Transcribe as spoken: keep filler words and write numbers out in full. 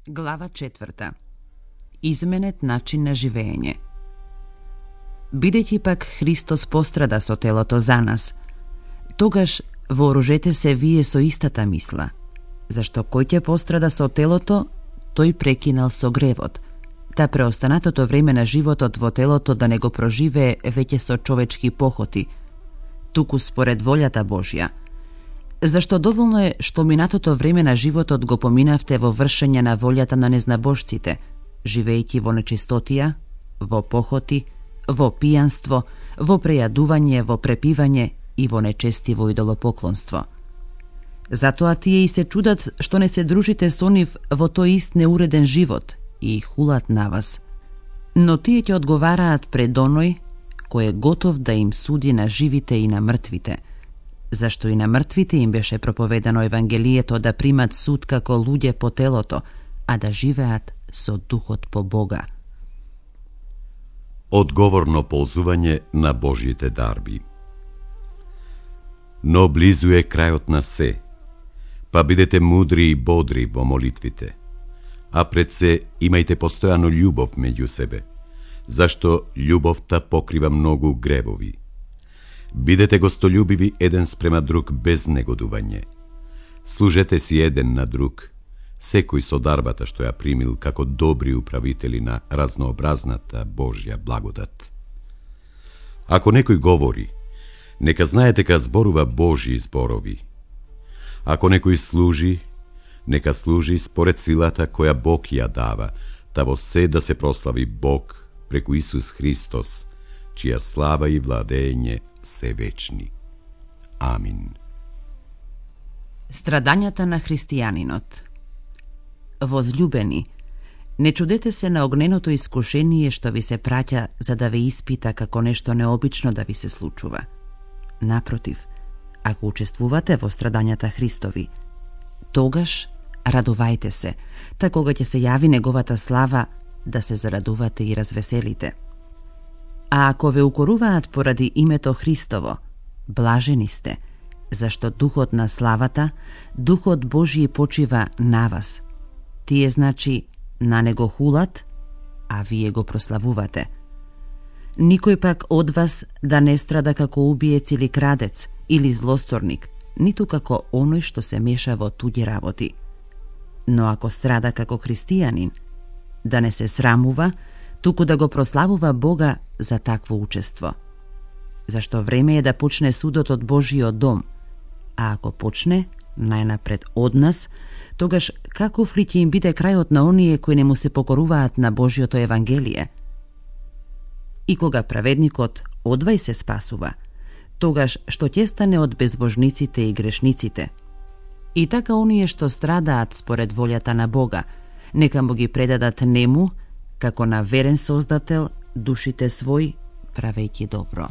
Глава четврта. Изменет начин на живење. Бидејќи пак Христос пострада со телото за нас, тогаш вооружете се вие со истата мисла, зашто кој ќе пострада со телото, тој прекинал со гревот, та преостанатото време на животот во телото да не го проживее веќе со човечки похоти, туку според волјата Божја. Зашто доволно е што минатото време на животот го поминавте во вршење на волјата на незнабожците, живејќи во нечистотија, во похоти, во пијанство, во прејадување, во препивање и во нечестиво идолопоклонство. Затоа тие и се чудат што не се дружите со нив во тој ист неуреден живот и хулат на вас. Но тие ќе одговараат пред оној кој е готов да им суди на живите и на мртвите, зашто и на мртвите им беше проповедано Евангелието да примат суд како луѓе по телото, а да живеат со духот по Бога. Одговорно ползување на Божјите дарби. Но близу е крајот на се, па бидете мудри и бодри во молитвите, а пред се имајте постојано љубов меѓу себе, зашто љубовта покрива многу гревови. Бидете гостолюбиви еден спрема друг без негодување. Служете си еден на друг, секој со дарбата што ја примил како добри управители на разнообразната Божја благодат. Ако некој говори, нека знае дека зборува Божји зборови. Ако некој служи, нека служи според силата која Бог ја дава, та во се да се прослави Бог преку Исус Христос, чија слава и владење се вечни. Амин. Страдањата на христијанинот. Возлюбени, не чудете се на огненото искушение што ви се праќа за да ве испита како нешто необично да ви се случува. Напротив, ако учествувате во страдањата Христови, тогаш радувајте се, та кога ќе се јави неговата слава, да се зарадувате и развеселите. А ако ве укоруваат поради името Христово, блажени сте, зашто духот на славата, духот Божји почива на вас. Тие значи на него хулат, а вие го прославувате. Никој пак од вас да не страда како убиец или крадец, или злосторник, ниту како оној што се меша во туѓи работи. Но ако страда како христијанин, да не се срамува, туку да го прославува Бога за такво учество. Зашто време е да почне судот од Божиот дом, а ако почне, најнапред од нас, тогаш каков ли ќе им биде крајот на оние кои не му се покоруваат на Божиото Евангелие? И кога праведникот одвај се спасува, тогаш што ќе стане од безбожниците и грешниците? И така оние што страдаат според волјата на Бога, нека му ги предадат нему, како на верен создател, душите свој, правејќи добро.